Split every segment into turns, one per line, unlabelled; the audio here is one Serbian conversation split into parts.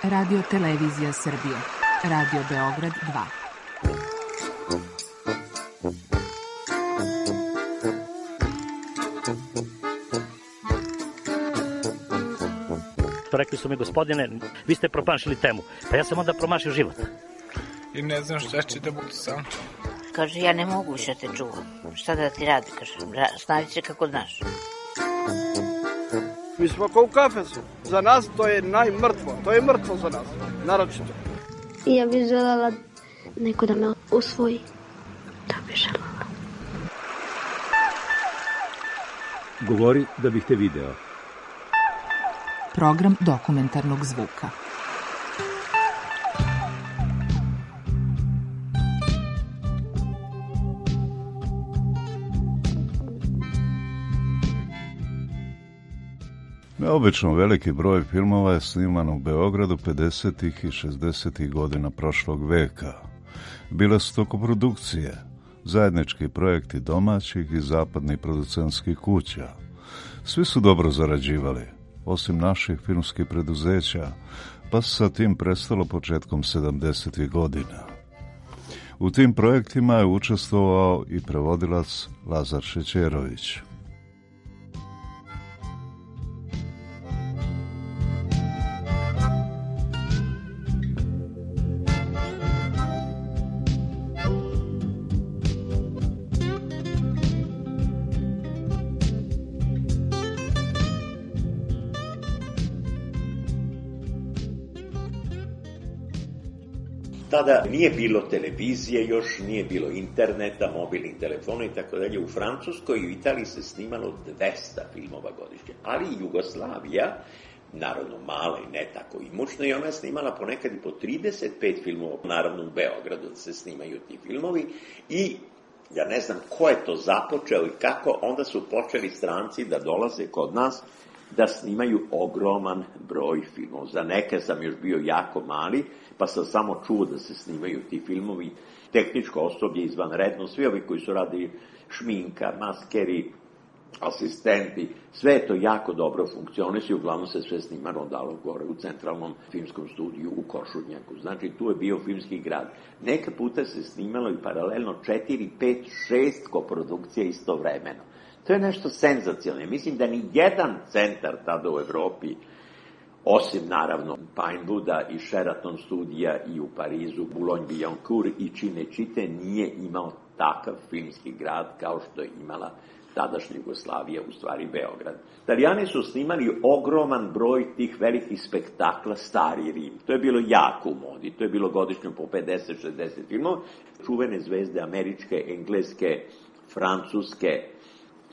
Radio Televizija Srbije. Radio Beograd 2.
Rekli su mi, gospodine, vi ste promašili temu. Pa ja sam onda promašio život.
I ne znam šta će da bude sam.
Kaže, ja ne mogu više te čuvam. Šta da ti radi, kaže, snavi se kako znaš.
Mi smo kao u kafesu. Za nas to je najmrtvo. To je mrtvo za nas, naročito.
Ja bih želela neko da me usvoji. To bih želela.
Govori da bih te video.
Program dokumentarnog zvuka.
Neobično veliki broj filmova je sniman u Beogradu 50. i 60. godina prošlog veka. Bile su to koprodukcije, zajednički projekti domaćih i zapadnih producentskih kuća. Svi su dobro zarađivali, osim naših filmskih preduzeća, pa se sa tim prestalo početkom 70. godina. U tim projektima je učestvovao i prevodilac Lazar Šećerović.
Tada nije bilo televizije, još nije bilo interneta, mobilnih telefona i tako dalje. U Francuskoj i u Italiji se snimalo 200 filmova godišnje, ali i Jugoslavija, naravno mala i ne tako imućna, i ona je snimala ponekad i po 35 filmova, naravno u Beogradu se snimaju ti filmovi, i ja ne znam ko je to započeo i kako, onda su počeli stranci da dolaze kod nas da snimaju ogroman broj filmova. Za neke sam još bio jako mali, pa sam samo čuo da se snimaju ti filmovi. Tehničko osoblje izvanredno, svi ovi koji su radili šminka, maskeri, asistenti, sve je to jako dobro funkcionisuje, uglavnom se sve snimano dalo gore u centralnom filmskom studiju u Košutnjaku. Znači, tu je bio filmski grad. Neka puta se snimalo i paralelno 4, 5, 6 koprodukcija istovremeno. To je nešto senzacionalno. Mislim da ni jedan centar tada u Evropi, osim naravno Pinewooda i Sheraton studija i u Parizu, Boulogne-Billancourt i Cinecittà, nije imao takav filmski grad kao što je imala tadašnja Jugoslavija, u stvari Beograd. Italijani su snimali ogroman broj tih velikih spektakla, Stari Rim. To je bilo jako u modi, to je bilo godišnje po 50-60 filmova. Čuvene zvezde američke, engleske, francuske,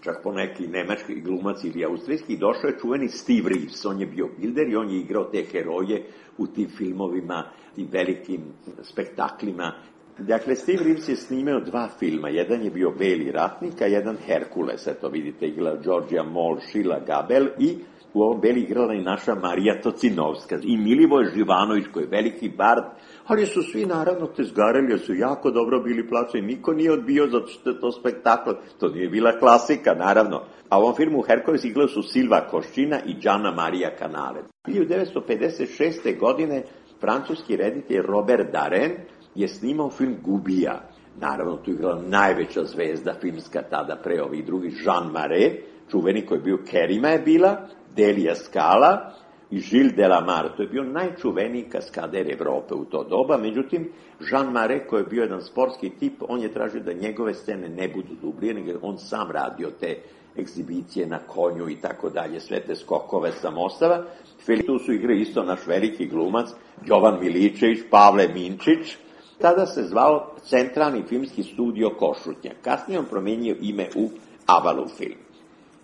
čak po neki nemački glumac ili austrijski, došao je čuveni Steve Reeves, on je bio bilder i on je igrao te heroje u tim filmovima, tim velikim spektaklima. Dakle, Steve Reeves je snimao 2 filma, jedan je bio Beli ratnik, a jedan Herkules, eto vidite, igrala Georgia Moll, Sheila Gabel, i u ovom Beli igrala i naša Marija Tocinovska i Milivoj Živanović, koji je veliki bard, ali su svi naravno tezgareli, su jako dobro bili plaćeni, niko nije odbio zato što je to spektakl, to nije bila klasika, naravno. A u ovom filmu Herkules igrali su Silva Koščina i Gianna Maria Canale. 1956. godine francuski reditelj Robert Darin je snimao film Gubija. Naravno, tu je igrala najveća zvezda filmska tada pre ovih drugih, Jean Marais, čuveni koji je bio, Kerima je bila, Delia Scala i Gilles Delamare. To je bio najčuveniji kaskader Evrope u to doba. Međutim, Jean Marais, koji je bio jedan sportski tip, on je tražio da njegove scene ne budu dublije, nego on sam radio te egzibicije na konju i tako dalje, sve te skokove sa mostava. Tu su igre isto naš veliki glumac, Jovan Miličević, Pavle Minčić. Tada se zvao Centralni filmski studio Košutnjak. Kasnije on promenio ime u Avalu film.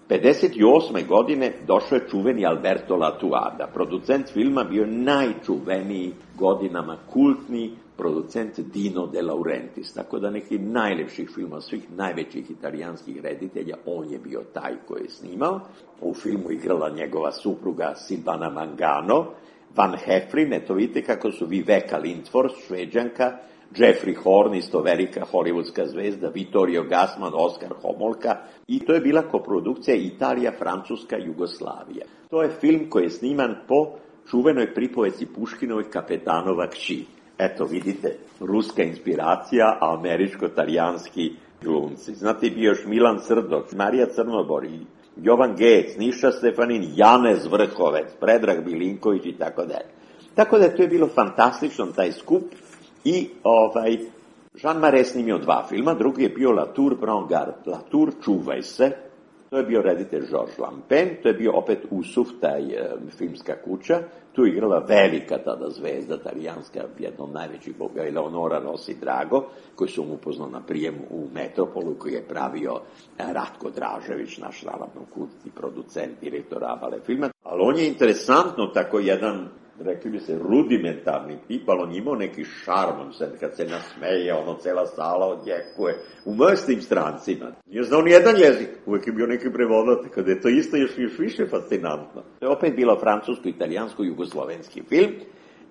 58. godine došao je čuveni Alberto Latuada. Producent filma bio najčuveniji godinama kultni producent Dino De Laurentiis. Tako da neki najlepših filmova, svih najvećih italijanskih reditelja, on je bio taj koji je snimao. U filmu igrala njegova supruga Silvana Mangano, Van Heflin, eto vidite kako su Viveka Lindfors, Šveđanka, Jeffrey Horn, isto velika hollywoodska zvezda, Vittorio Gassman, Oskar Homolka, i to je bila koprodukcija Italija, Francuska, Jugoslavija. To je film koji je sniman po čuvenoj pripovesti Puškinovoj Kapetanova kći. Eto, vidite, ruska inspiracija, a američko-talijanski glumci. Znate, bio još Milan Srdok, Marija Crnobor i Jovan Gec, Niša Stefanin, Janez Vrhovec, Predrag Bilinković i tako dalje. Tako da to je bilo fantastično, taj skup. I Jean Marais snimio 2 filma, drugi je bio La Tour Prends Garde, La Tour Čuvaj se, to je bio reditelj Georges Lampen, to je bio opet Usuf, taj filmska kuća, tu je igrala velika tada zvezda, talijanska, jedna od najvećih boga, Eleonora Rossi Drago, koji su mu upoznao na prijemu u Metropolu, koji je pravio Ratko Dražević, naš naravno kultni producent, direktor Abale filma. Ali on je interesantno tako jedan, rekli bi se, rudimentarni tip, ali on imao neki šarm, kad se nasmeje, cela sala odjekuje, u mrstim strancima. Nije znao ni jedan jezik, uvek je bio neki prevodatelj, kada je to isto još više fascinantno. To je opet bilo francusko-italijansko-jugoslovenski film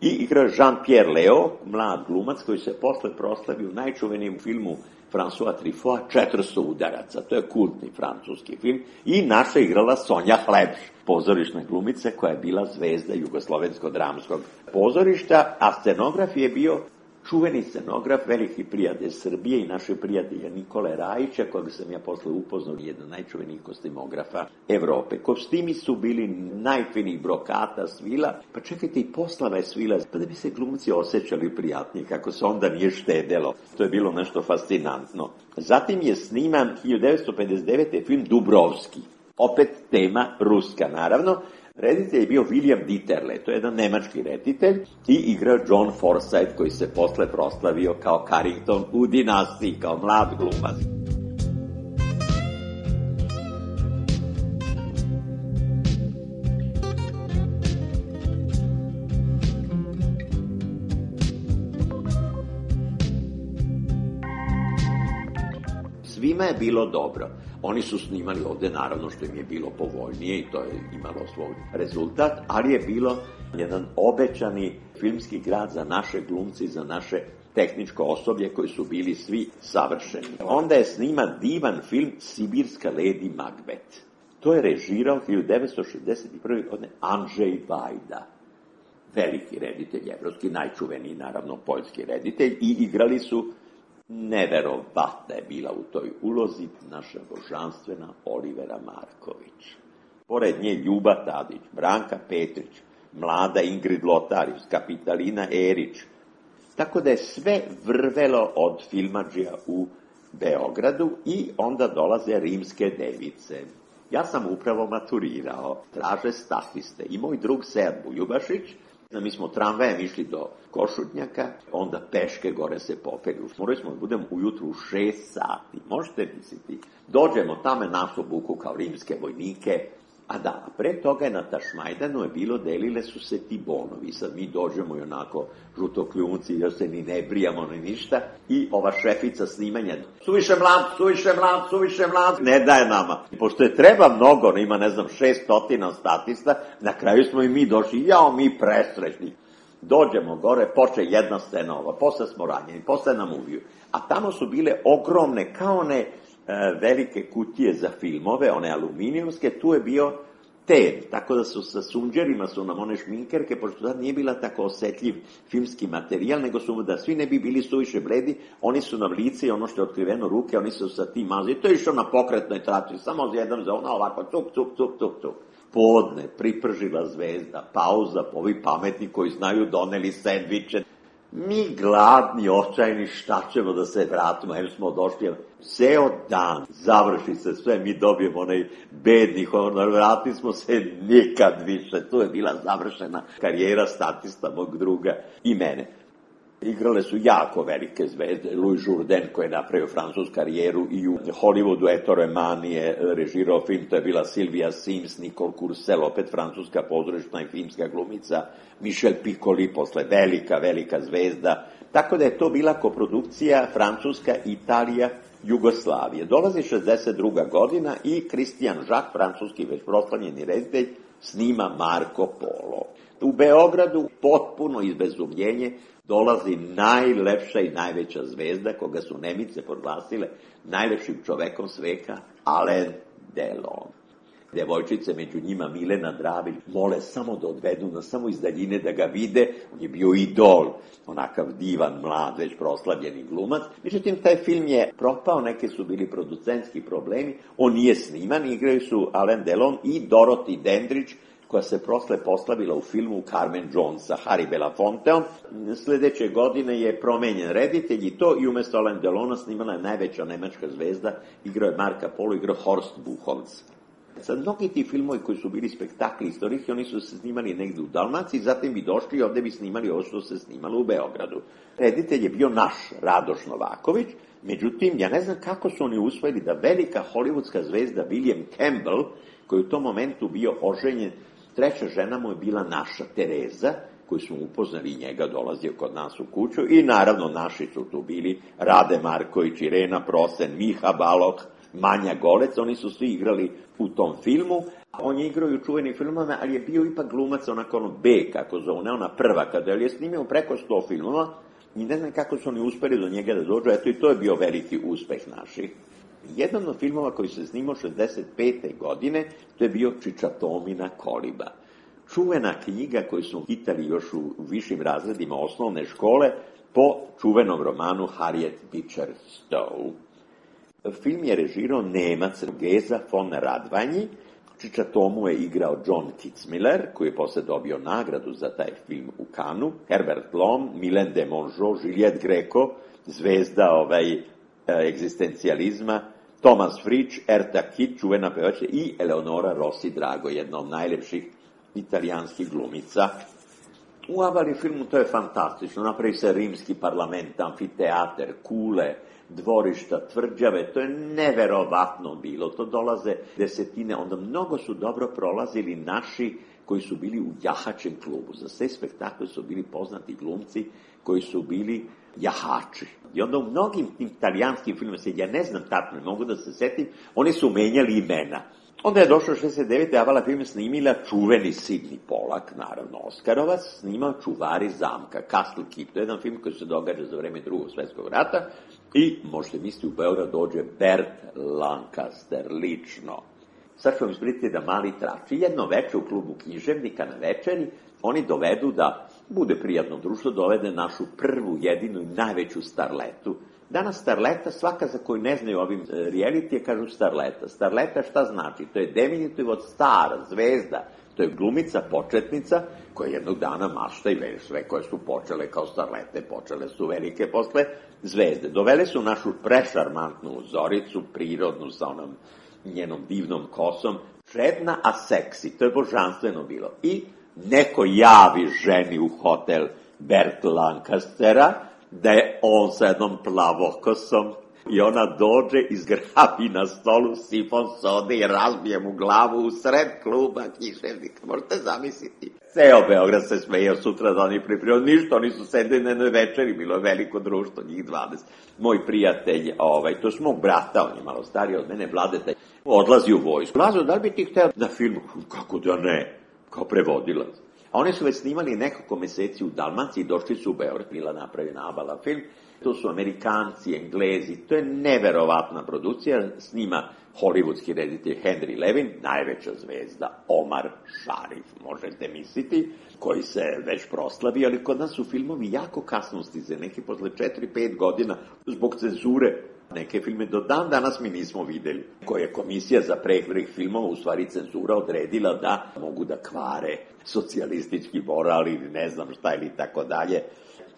i igra Jean-Pierre Léaud, mlad glumac koji se posle proslavio u najčuvenijem filmu François Truffaut, 400 udaraca, to je kultni francuski film, i naša igrala Sonja Hlebš, pozorišna glumica koja je bila zvezda jugoslovensko-dramskog pozorišta, a scenograf je bio čuveni scenograf, veliki prijatelj Srbije i našeg prijatelja Nikole Rajića, kojeg sam ja posle upoznao, jedan najčuvenijih kostimografa Evrope. Kostimi su bili najfinijih brokata, svila, pa čekajte, i poslava je svila, pa da bi se glumci osjećali prijatnije, kako se onda nije štedelo. To je bilo nešto fascinantno. Zatim je sniman 1959. film Dubrovski. Opet tema ruska, naravno. Reditelj je bio William Dieterle, to je jedan nemački reditelj, i igrao John Forsythe, koji se posle proslavio kao Carrington u Dinastiji, kao mlad glumac. Svima je bilo dobro. Oni su snimali ovde, naravno, što im je bilo povoljnije i to je imalo svoj rezultat, ali je bilo jedan obećani filmski grad za naše glumci, za naše tehničko osoblje koji su bili svi savršeni. Onda je sniman divan film Sibirska Lady Macbeth. To je režirao 1961. godine Andrzej Vajda, veliki reditelj, evropski, najčuveniji, naravno, poljski reditelj, i igrali su, neverovatna je bila u toj ulozi, naša božanstvena Olivera Marković. Pored nje Ljuba Tadić, Branka Petrić, mlada Ingrid Lotarius, Kapitalina Erić. Tako da je sve vrvelo od filmadžija u Beogradu i onda dolaze rimske device. Ja sam upravo maturirao, traže statiste, i moj drug Sead Buljubašić. Mi smo tramvajem išli do Košutnjaka, onda peške gore se popeli. Morali smo da budemo ujutru u 6 sati. Možete misliti, dođemo tamo nas obuku kao rimske vojnike, a da, pre toga je na Tašmajdanu je bilo, delile su se ti bonovi. Sad mi dođemo i onako žutokljunci, još se ni ne brijamo ni ništa, i ova šefica snimanja, suviše mlad, ne daje nama. Pošto je treba mnogo, ima 600 statista, na kraju smo i mi došli, mi presrećni. Dođemo gore, poče jedna scena ova, posle smo ranjeni, posle nam uviju. A tamo su bile ogromne, kao one velike kutije za filmove, one aluminijumske, tu je bio ten, tako da su sa sunđerima su nam one šminkerke, pošto sad nije bila tako osetljiv filmski materijal, nego su da svi ne bi bili suviše bledi, oni su nam lice i ono što je otkriveno ruke, oni su sa tim mazali, to je išao na pokretnoj traci, samo jedan za ono ovako, tuk. Podne, pripržila zvezda, pauza, ovi pametni koji znaju doneli sendviče. Mi gladni, očajni, šta ćemo da se vratimo, jer smo došli, ceo dan, završi se sve, mi dobijemo onaj bedni honor, vratili smo se nikad više, to je bila završena karijera statista mog druga i mene. Igrale su jako velike zvezde, Louis Jourdain koji je napravio francusku karijeru i u Hollywoodu, Ettore Mani je režirao film, to je bila Sylvia Sims, Nicole Courcelle, opet francuska pozorišna i filmska glumica, Michel Piccoli, posle velika zvezda, tako da je to bila koprodukcija Francuska, Italija, Jugoslavije. Dolazi 62. godina i Christian Jacques, francuski već proslavljeni reditelj, snima Marko Polo. U Beogradu potpuno izbezumljenje dolazi najlepša i najveća zvezda, koga su Nemice proglasile najlepšim čovekom sveka, Alain Delon. Devojčice, među njima Milena Dravić, mole samo da odvedu na samo iz daljine da ga vide. On je bio idol, onakav divan, mlad, već proslavljeni glumac. Međutim, taj film je propao, neke su bili producentski problemi, on nije sniman, igraju su Alain Delon i Dorothy Dandridge, koja se posle proslavila u filmu Carmen Jones sa Harry Belafonteom. Sledeće godine je promenjen reditelj i to, i umesto Alain Delona snimala je najveća nemačka zvezda, igrao je Marka Polo, igrao Horst Buchholz. Sad, mnogi ti filmovi koji su bili spektakli istorijski, oni su se snimali negde u Dalmaciji, zatim bi došli i ovde bi snimali ovo što se snimalo u Beogradu. Reditelj je bio naš, Radoš Novaković, međutim, ja ne znam kako su oni usvojili da velika hollywoodska zvezda William Campbell, koji u tom momentu bio oženjen, treća žena mu je bila naša Tereza, koju smo upoznali i njega, dolazio kod nas u kuću, i naravno naši su tu bili Rade Marković, Irena Prosen, Miha Balog, Manja Golec, oni su svi igrali u tom filmu. On je igrao i u čuvenim filmama, ali je bio ipak glumac onako ono B, kako zove, ne ona prva, kada je snimio preko 100 filmova i ne znam kako su oni uspeli do njega da dođu, eto i to je bio veliki uspeh naših. Jedan od filmova koji se snimao 65. godine, to je bio Čičatomina koliba. Čuvena knjiga koju su čitali još u višim razredima osnovne škole po čuvenom romanu Harriet Beecher Stowe. Film je režirao Nemac Geza von Radvanji. Čičatomu je igrao John Kitzmiller, koji je posle dobio nagradu za taj film u Cannesu, Herbert Blom, Milen de Mongeau, Juliette Greco, zvezda egzistencijalizma, Thomas Fritsch, Erta Kitt, čuvena pevačica, i Eleonora Rossi Drago, jedna od najlepših italijanskih glumica. U avali filmu to je fantastično, napravi se rimski parlament, amfiteater, kule, dvorišta, tvrđave, to je neverovatno bilo, to dolaze desetine, onda mnogo su dobro prolazili naši koji su bili u jahačem klubu. Za sve spektakle su bili poznati glumci koji su bili jahači. I onda u mnogim italijanskim filmima, ja ne znam tačno, ne mogu da se setim, oni su menjali imena. Onda je došlo 69. avala film snimila čuveni Sidney Pollack, naravno Oskarovac, snimao Čuvari zamka, Castle Keep, to je jedan film koji se događa za vreme Drugog svjetskog rata i možete misliti u Beograd dođe Bert Lancaster lično. Sad ću vam ispričati da mali trači. Jedno veče u klubu književnika na večeri oni dovedu da bude prijatno društvo, dovede našu prvu, jedinu i najveću starletu. Danas starleta, svaka za koju ne znaju ovim realitije, kažu starleta. Starleta šta znači? To je diminutiv od star, zvezda. To je glumica, početnica, koja jednog dana mašta i sve koje su počele kao starlete, počele su velike posle zvezde. Dovele su našu prešarmantnu Zoricu, prirodnu, sa onom njenom divnom kosom, čedna, a seksi. To je božanstveno bilo. I neko javi ženi u hotel Bert Lancastera, da je on sa jednom plavokosom i ona dođe, izgrabi na stolu sifon sode i razbije mu glavu u sred kluba književnika. Možete zamisliti. Ceo Beograd se smejao sutra da oni pripremio. Ništa, oni su sedeli na jednoj večeri, bilo je veliko društvo, njih 20. Moj prijatelj, to je mog brata, on je malo stariji od mene, Vladeta, odlazi u vojsku. Lazo, da li bi ti hteo na filmu? Kako da ne, kao prevodilac. A oni su već snimali nekoliko meseci u Dalmaciji, došli su u Beograd, bila napravljena avala film. To su Amerikanci, Englezi, to je neverovatna produkcija, snima hollywoodski reditelj Henry Levin, najveća zvezda Omar Sharif, možete misliti, koji se već proslavio, ali kod nas su filmovi jako kasno stize, neki posle 4-5 godina, zbog cenzure. Neke filme do dan danas mi nismo videli, koja je komisija za prehrih filmova, u stvari cenzura, odredila da mogu da kvare socijalistički moral ili ne znam šta ili tako dalje.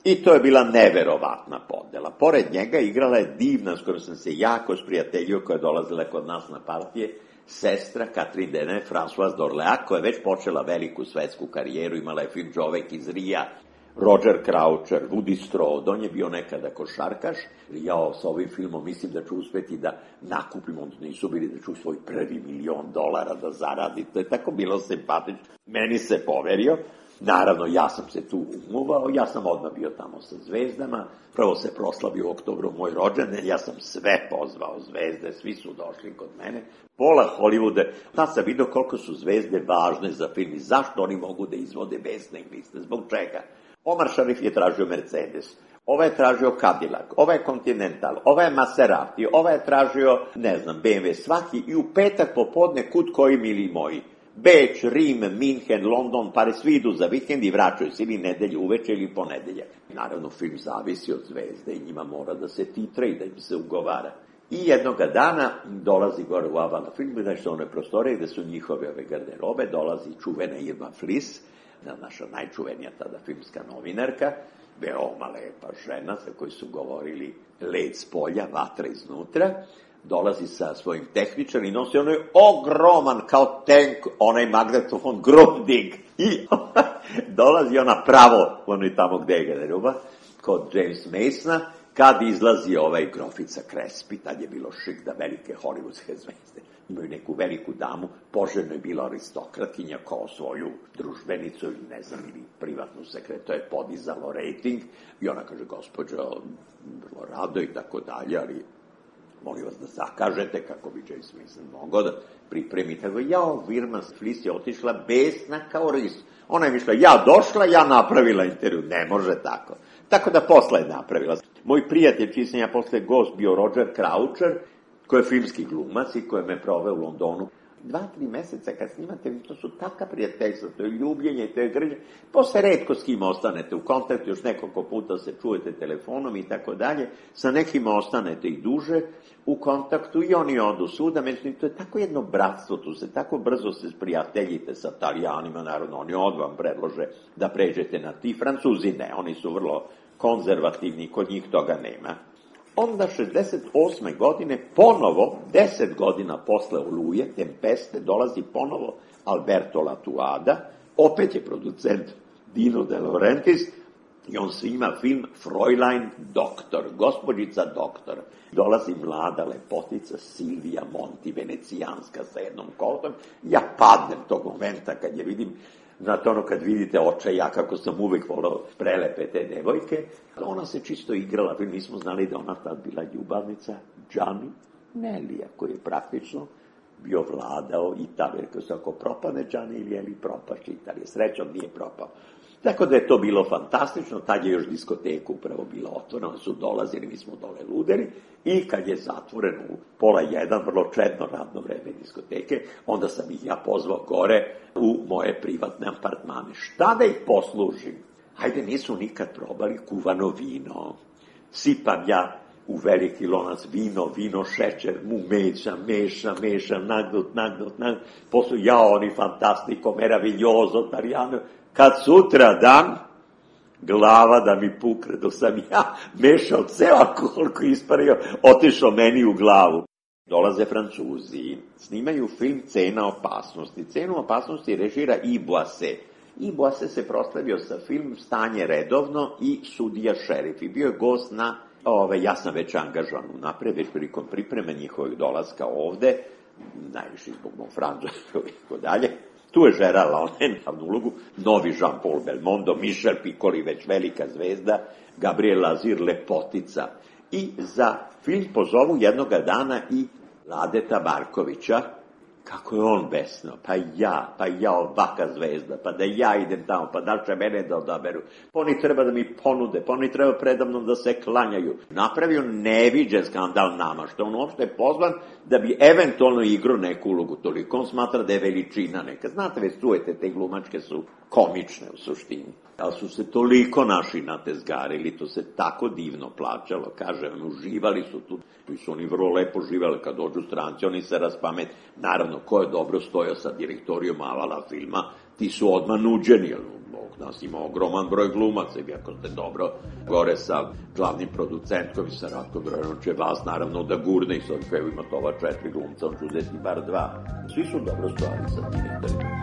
I to je bila neverovatna podela. Pored njega igrala je divna, skoro sam se jako sprijateljio, koja je dolazila kod nas na partije, sestra Catherine Deneuve, Françoise d'Orléans, koja je već počela veliku svetsku karijeru, imala je film Čovek iz Rija, Roger Croucher, Woody Strode, on je bio nekada košarkaš. Ja sa ovim filmom mislim da ću uspeti da nakupim, onda nisu bili da ću svoj prvi $1 milion da zaradi. To je tako bilo simpatično. Meni se poverio. Naravno, ja sam se tu umuvao, ja sam odmah bio tamo sa zvezdama. Prvo se proslavio u oktobru moj rođendan, ja sam sve pozvao zvezde, svi su došli kod mene. Pola Hollywooda, tad sam vidio koliko su zvezde važne za film i zašto oni mogu da izvode besne gliste, zbog čega. Omar Sharif je tražio Mercedes. ovaj je tražio Cadillac, ovaj je Continental, ovaj je Maserati, ovaj je tražio, ne znam, BMW, svaki, i u petak popodne kud koji mili moji. Beč, Rim, Minhen, London, pare svi idu za vikend i vraćaju se ili nedelju uveče ili ponedeljak. Naravno, film zavisi od zvezde i njima mora da se titre i da im se ugovara. I jednoga dana dolazi gore u Avala film, znači one prostore gde su njihove ove garderobe, dolazi čuvena Irma Flis, naša najčuvenija tada filmska novinarka, veoma lepa žena za koju su govorili led s polja, vatra iznutra, dolazi sa svojim tehničarom i nosi onaj ogroman kao tank, onaj magnetofon Grundig. I dolazi ona pravo, ono je tamo gde je garderoba, kod James Masona, kad izlazi ovaj grofica Crespi, tad je bilo šik da velike hollywoodske zvezde imaju neku veliku damu, poželjno je bila aristokratkinja kao svoju družbenicu ili ne znam, ili privatnu sekretu, to je podizalo rating i ona kaže, gospođo, vrlo rado i tako dalje, ali molim vas da zakažete kako bi James Mason mogao da pripremi. Tako Irma Flis je otišla besna kao ris. Ona je mišla, ja došla, ja napravila intervju. Ne može tako. Tako da posle je napravila. Moj prijatelj, čiji sam ja posle gost, bio Roger Croucher, koji je filmski glumac i koji me proveo u Londonu. 2-3 meseca kad snimate, to su taka prijateljstva, to je ljubljenje, to je grđe. Posle retko s kim ostanete u kontaktu, još nekoliko puta se čujete telefonom i tako dalje. Sa nekima ostanete i duže u kontaktu i oni odu svuda. Međutim, to je tako jedno bratstvo, tu se tako brzo se sprijateljite sa Italijanima, naravno, oni vam predlože da pređete na ti. Francuzi ne, oni su vrlo konzervativni, kod njih toga nema. Onda 68. godine, ponovo, 10 godina posle Oluje, Tempeste, dolazi ponovo Alberto Latuada, opet je producent Dino De Laurentiis, i on snima film Fräulein Doktor, gospođica doktor. Dolazi mlada lepotica Silvia Monti, venecijanska sa jednom kotom. Ja padnem tog momenta kad je vidim, znate ono kad vidite očaja, kako sam uvek volao prelepe te devojke. Ona se čisto igrala, mi smo znali da ona tad bila ljubavnica Gianni Nellija, koji je praktično bio vladao Italije. Ako propane Gianni ili propašće Italije, srećom nije propao. Tako da je to bilo fantastično, tad je još diskoteka upravo bila otvorena, su dolazili, mi smo dole luderi, i kad je zatvoren u 12:30, vrlo čedno radno vreme diskoteke, onda sam ih ja pozvao gore u moje privatne apartmane. Šta da ih poslužim? Hajde, nisu nikad probali kuvano vino. Sipam ja u veliki lonac vino, šećer, mu mešam, nagnut, posle oni fantastico, meraviglioso, Tarijano. Kad sutra dan, glava da mi pukne, dok sam ja mešao ceo alkohol koji ispario, otišao meni u glavu. Dolaze Francuzi, snimaju film Cena opasnosti. Cenu opasnosti režira Yves Boisset. Yves Boisset se proslavio sa film Stanje redovno i Sudija šerif. I bio je gost na, ja sam već angažovan unapred, već prilikom pripreme njihovih dolaska ovde, najviše zbog mog Francuska i tako dalje. Tu je Gerard Laurent, glavnu ulogu, novi Jean-Paul Belmondo, Michel Piccoli, već velika zvezda, Gabriel Lazir, lepotica. I za film pozovu jednoga dana i Ladeta Markovića, kako je on besno, pa ja ovaka zvezda, pa da ja idem tamo, pa da li će mene da odaberu, pa oni treba da mi ponude, pa oni treba predamnom da se klanjaju. Napravio neviđen skandal nama, što on uopšte je pozvan da bi eventualno igrao neku ulogu, toliko on smatra da je veličina neka. Znate, već čujete, te glumačke su komične u suštini. Ali su se toliko naši natezgarili, to se tako divno plaćalo, kažem, uživali su tu, i su oni vrlo lepo živali, kad dođu stranci, oni se raspamet. Naravno, ko je dobro stojao sa direktorijom Avala filma, ti su odmah nuđeni, jer nas ima ogroman broj glumaca, i ako ste dobro gore sa glavnim producentkom i sa Ratkom Grojanom, će vas naravno da gurne i sa ovim pevu imate ova 4 glumca, on će uzeti bar 2. Svi su dobro stojali sa direktorijom.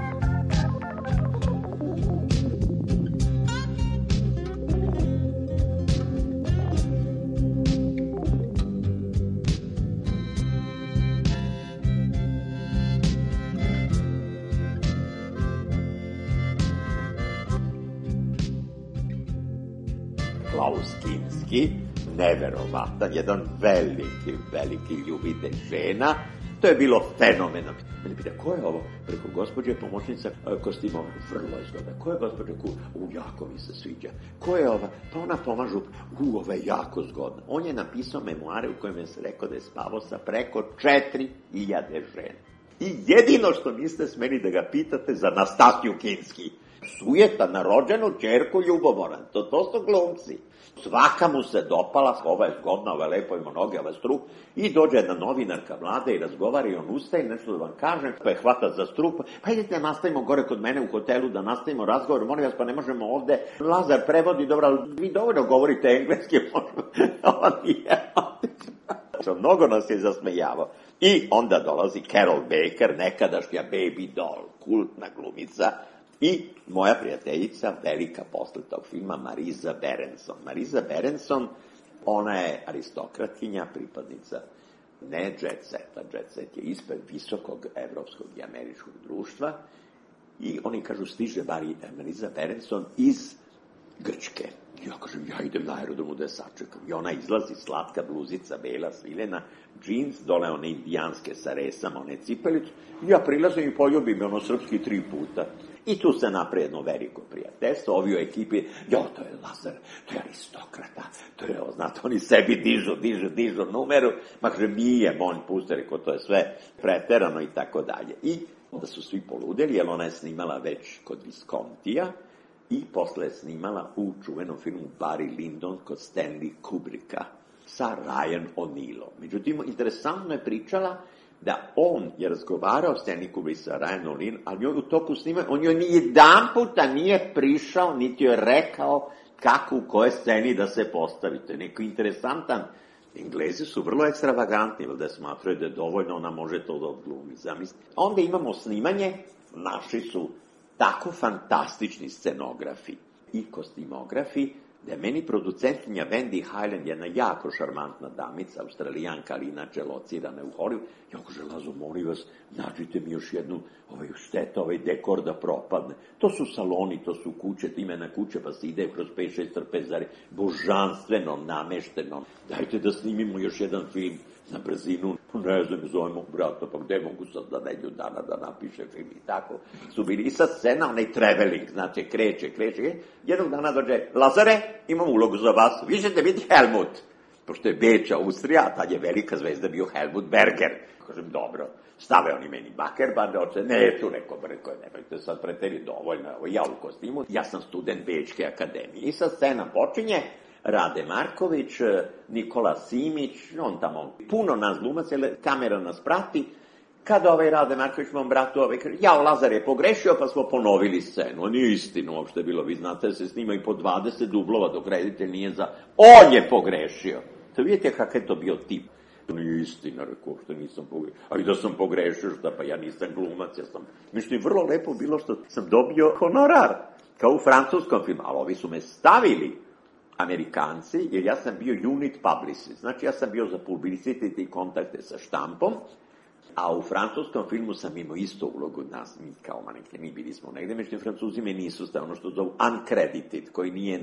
Klaus Kinski, neverovatan, jedan veliki ljubitelj žena, To je bilo fenomenalno. Mene pita, ko je ovo? Preko gospođe pomoćnica kostimova. Vrlo je zgodna. Ko je gospođa Kur? Jako mi se sviđa. Ko je ova? Pa ona pomažu. Ova je jako zgodna. On je napisao memoare u kojem je se rekao da je spavao sa preko 4000 žena. I jedino što niste smeli da ga pitate za Nastasiju Kinski. Sujeta na rođenu ćerku ljubomoran. To su glumci. Svaka mu se dopala, ova je zgodna, ova je lepo, ima noge, ova je strup, i dođe jedna novinarka mlada i razgovara i on ustaje, nešto da vam kažem, pa je hvata za strup, pa idete da nastavimo gore kod mene u hotelu, da nastavimo razgovor, molim vas, pa ne možemo ovde, Lazar prevodi, dobro, ali vi dovoljno govorite engleski, ova nije, mnogo nas je zasmejavao. I onda dolazi Carol Baker, nekadašnja Baby Doll, kultna glumica, i moja prijateljica, velika posle tog filma, Mariza Berenson. Mariza Berenson, ona je aristokratkinja, pripadnica ne jet seta. Jet set je ispred visokog evropskog i američkog društva. I oni kažu, stiže Mariza Berenson iz Grčke. Ja kažem, ja idem na aerodromu da je sačekam. I ona izlazi, slatka bluzica, bela, svilena, džins, dole one indijanske sa resama, one cipelicu. I ja prilazim i poljubim ono srpski 3 puta. I tu se napravi jedno veliko prijateljstvo, ovi u ekipi, to je Lazar, to je aristokrata, to je, znate, oni sebi dižu numeru, ma kaže, nije, monj puste, reko, to je sve preterano i tako dalje. I onda su svi poludeli, jer ona je snimala već kod Viscontija i posle je snimala u čuvenom filmu Barry Lyndon kod Stanley Kubricka sa Ryan O'Neillom. Međutim, interesantno je pričala da on je razgovarao s Stanley Kubrick sa Ryan O'Neillom, ali u toku snimanja, on joj ni jedan puta nije prišao, niti joj rekao kako u kojoj sceni da se postavite. Neko interesantan. Englezi su vrlo ekstravagantni, da smatraju da je dovoljno, ona može to da odglumi, zamislite. Onda imamo snimanje, naši su tako fantastični scenografi i kostimografi, da je meni producentkinja Wendy Highland, jedna jako šarmantna damica, Australijanka, ali inače locirana u Hollywoodu. Ja kaže, Lazo, molim vas, nađite mi još jednu šteta, dekor da propadne. To su saloni, to su kuće, imena kuće, pa se ide kroz 5-6 trpezari, božanstveno, namešteno. Dajte da snimimo još jedan film na brzinu, ne znam, zovemo brata, pa gde mogu sad da neđu dana da napiše film i tako. Su bili i sad scena, onaj traveling, znači, kreće. Jednog dana dođe, Lazare, imam ulogu za vas, vi ćete biti Helmut. Pošto je Beč, Austrija, tad je velika zvezda bio Helmut Berger. Kažem, dobro, stave oni meni bakerbande, oče, ne, tu neko brko, nemojte sad preteri, dovoljno, ja u kostimu, ja sam student Bečke akademije. I sad scena počinje, Rade Marković, Nikola Simić, on tamo, puno nas glumaca, kamera nas prati. Kada Rade Marković mom bratu kaže, Lazar je pogrešio, pa smo ponovili scenu. Nije istinu uopšte bilo, vi znate da se snima i po 20 dublova, dok reditelj nije za... On je pogrešio. To vidite kakav je to bio tip. Nije istina, rekao, što nisam pogrešio. Ali da sam pogrešio, šta pa ja nisam glumac, ja sam... Mislim, vrlo lepo bilo što sam dobio honorar, kao u francuskom filmu, ali ovi su me stavili, Amerikanci, jer ja sam bio unit publicist, znači ja sam bio za publicity i kontakte sa štampom, a u francuskom filmu sam imao isto ulogu nas, mi kao manekeni, bili smo negde, međutim Francuzi me nisu stavili, ono što zovu uncredited, koji nije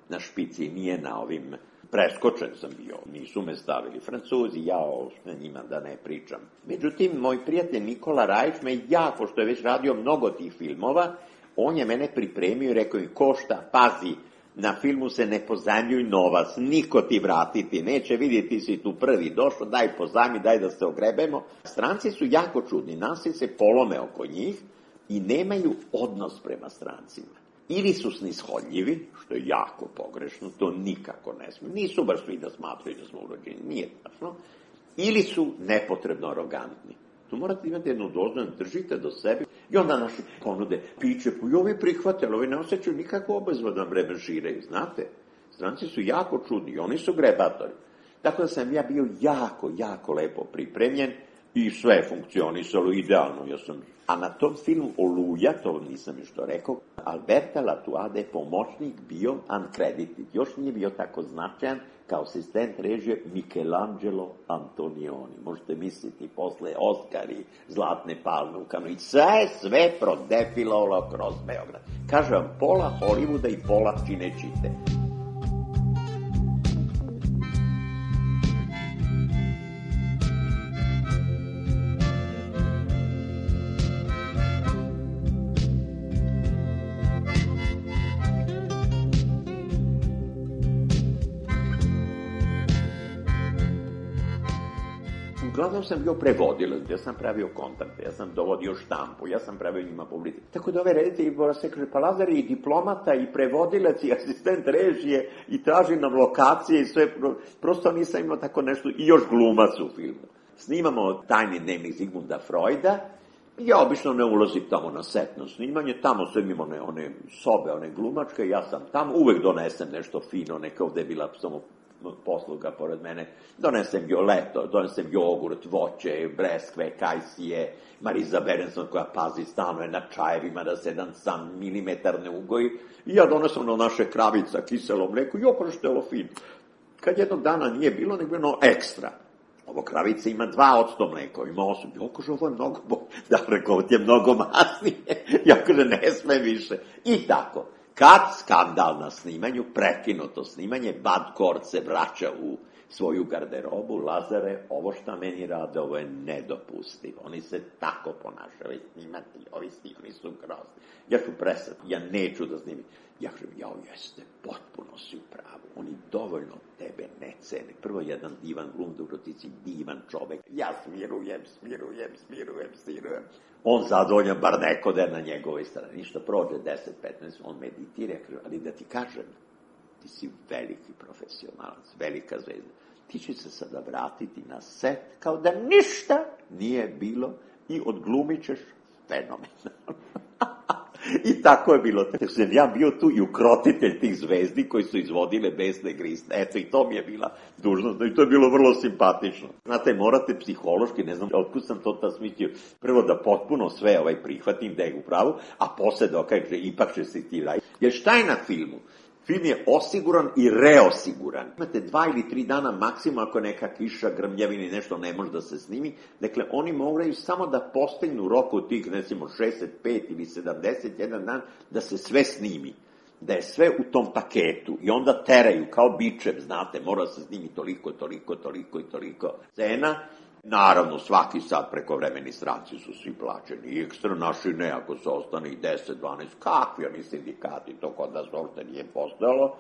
na špici, nije na ovim, preskočen sam bio, nisu me stavili Francuzi, ja o njima da ne pričam. Međutim, moj prijatelj Nikola Rajić me jako, što je već radio mnogo tih filmova, on je mene pripremio i rekao mi, košta, pazi, na filmu se ne pozajmljuj novac, niko ti vratiti neće, vidjeti ti si tu prvi došao, daj pozajmi, daj da se ogrebemo. Stranci su jako čudni, nasi se polome oko njih i nemaju odnos prema strancima. Ili su snishodljivi, što je jako pogrešno, to nikako ne smije, nisu baš svi da smatraju da smo urođeni, nije tačno, ili su nepotrebno arogantni. Tu morate imati jednu dozu, držite do sebe i onda naši ponude piće, i ovi prihvate, ali ovi ne osjećaju nikakvu obavezu da vreme žiraju, znate. Stranci su jako čudni, oni su grebatori. Tako da sam ja bio jako lepo pripremljen i sve je funkcionisalo idealno. A na tom filmu Oluja, to nisam još to rekao, Alberta Latuada je pomoćnik bio uncredited, još nije bio tako značajan kao asistent režije Michelangelo Antonioni. Možete misliti, posle Oskari, Zlatne palme u Kanu, i sve prodefilovalo kroz Beograd. Kažem vam, pola Hollywooda i pola Cinecittà. uglavnom sam bio prevodilac, ja sam pravio kontakte, ja sam dovodio štampu, ja sam pravio njima publicitet. Tako da ove reditelji se kaže, pa Lazar je i diplomata, i prevodilac, i asistent režije, i traži nam lokacije i sve, prosto nisam imao tako nešto, i još glumac u filmu. Snimamo Tajni dnevnik Zigmunda Freuda, ja obično ne ulazim tamo na setno snimanje, tamo sve imamo one sobe, one glumačke, ja sam tamo, uvek donesem nešto fino, neka ovde je bila samo posluga pored mene, donesem leto, donesem jogurt, voće, breskve, kajsije, Mariza Berenson koja pazi stalno je na čajevima da se jedan sam milimetar ne ugoji, i ja donesem na naše kravica, kiselo mleko, i oko što je ovo fino. Kad jednog dana nije bilo, nego je ekstra. Ovo kravica ima 2% mleka, ima 8. Ja kaže, ovo je mnogo bolje. Da, rekao, ti je mnogo masnije. Ja kaže, ne sme više. I tako. Kad skandal na snimanju, prekinuto snimanje, Bad Kort se vraća u svoju garderobu, Lazare, ovo šta meni rade, ovo je nedopustivo. Oni se tako ponašaju, ovi snimani su grozni. Ja ću presati, ja neću da snimim. Ja kažem, jeste, potpuno si u pravu. Oni dovoljno tebe ne cene. Prvo, jedan divan glum, dobro ti si divan čovek. Ja smirujem. On zadovoljan, bar neko da je na njegovoj strani. Ništa prođe 10-15, on meditira, ali da ti kažem, ti si veliki profesionalac, velika zvezda. Ti će se sada vratiti na set kao da ništa nije bilo i odglumit ćeš fenomenalno. I tako je bilo. Ja bio tu i ukrotitelj tih zvezdi koji su izvodile besne grisne. Eto, i to mi je bila dužnost. I to je bilo vrlo simpatično. Znate, morate psihološki, ne znam, otkud sam to tad smislio, prvo da potpuno sve prihvatim da je u pravu, a posle dokaže, ipak će se ti raditi. Jer šta je na filmu? Film je osiguran i reosiguran. Imate 2 ili 3 dana maksimum ako neka kiša, grmljavina i nešto ne može da se snimi. Dakle, oni moraju samo da postignu roku tih, recimo, 65 ili 71 dan, da se sve snimi. Da je sve u tom paketu. I onda teraju, kao bičev, znate, mora se snimi toliko scena. Naravno, svaki sat prekovremeni stranci su svi plaćeni, i ekstra naši ne, ako se ostane i 10, 12, kakvi oni sindikati, to kod nas uopšte nije postojalo.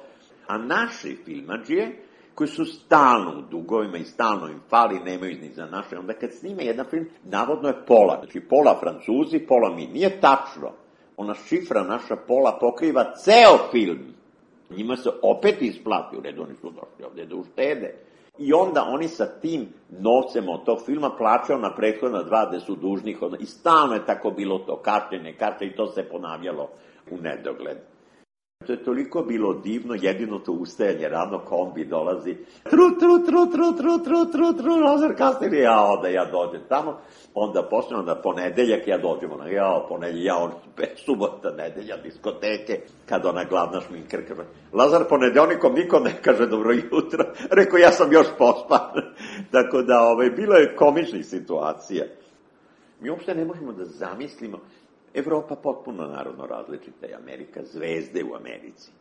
A naši filmadžije, koji su stalno u dugovima i stalno im fali, nemaju ni za naše, onda kad snime jedan film, navodno je pola, znači pola Francuzi, pola mi, nije tačno. Ona šifra naša pola pokriva ceo film. Njima se opet isplati, u redu oni su došli ovde da uštede. I onda oni sa tim novcem od tog filma plaćaju na prethodna 2 gde su dužni. I stalno je tako bilo to, kašnjenje, i to se ponavljalo u nedogled. To je toliko bilo divno, jedino to ustajanje rano, kombi dolazi, Lazar kasnije, da ja dođem tamo, onda posle, onda ponedeljak, ja dođemo na, subota, nedelja, diskoteke, kad ona glavna šminker kaže, Lazar, ponedeljnikom niko ne kaže dobro jutro, rekao, ja sam još pospan. Tako da, bilo je komičnih situacija. Mi uopšte ne možemo da zamislimo, Evropa potpuno narodno različita je Amerika, zvezde u Americi.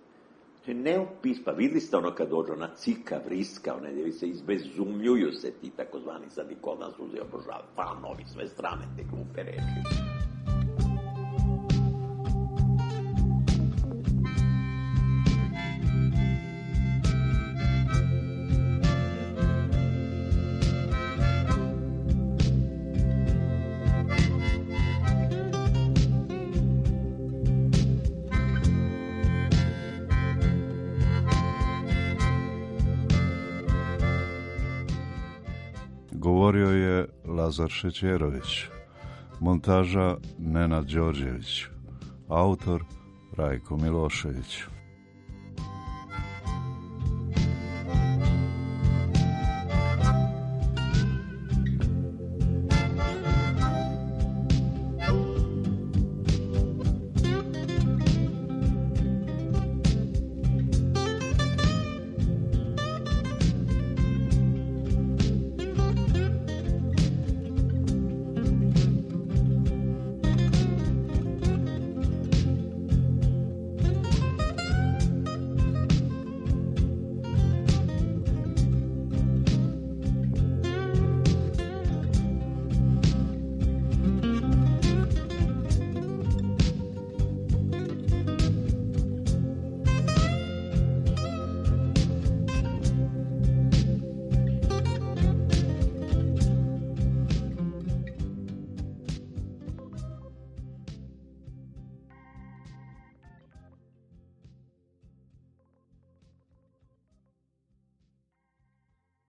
To je neopis, pa videli ste ono kad dođu na cika, vriska, one gdje se izbezumljuju se ti takozvani, sad i kod nas uze obožava, fanovi, sve strane te glupe reči.
Govorio je Lazar Šećerović, montaža Nenad Đorđević, autor Rajko Milošević.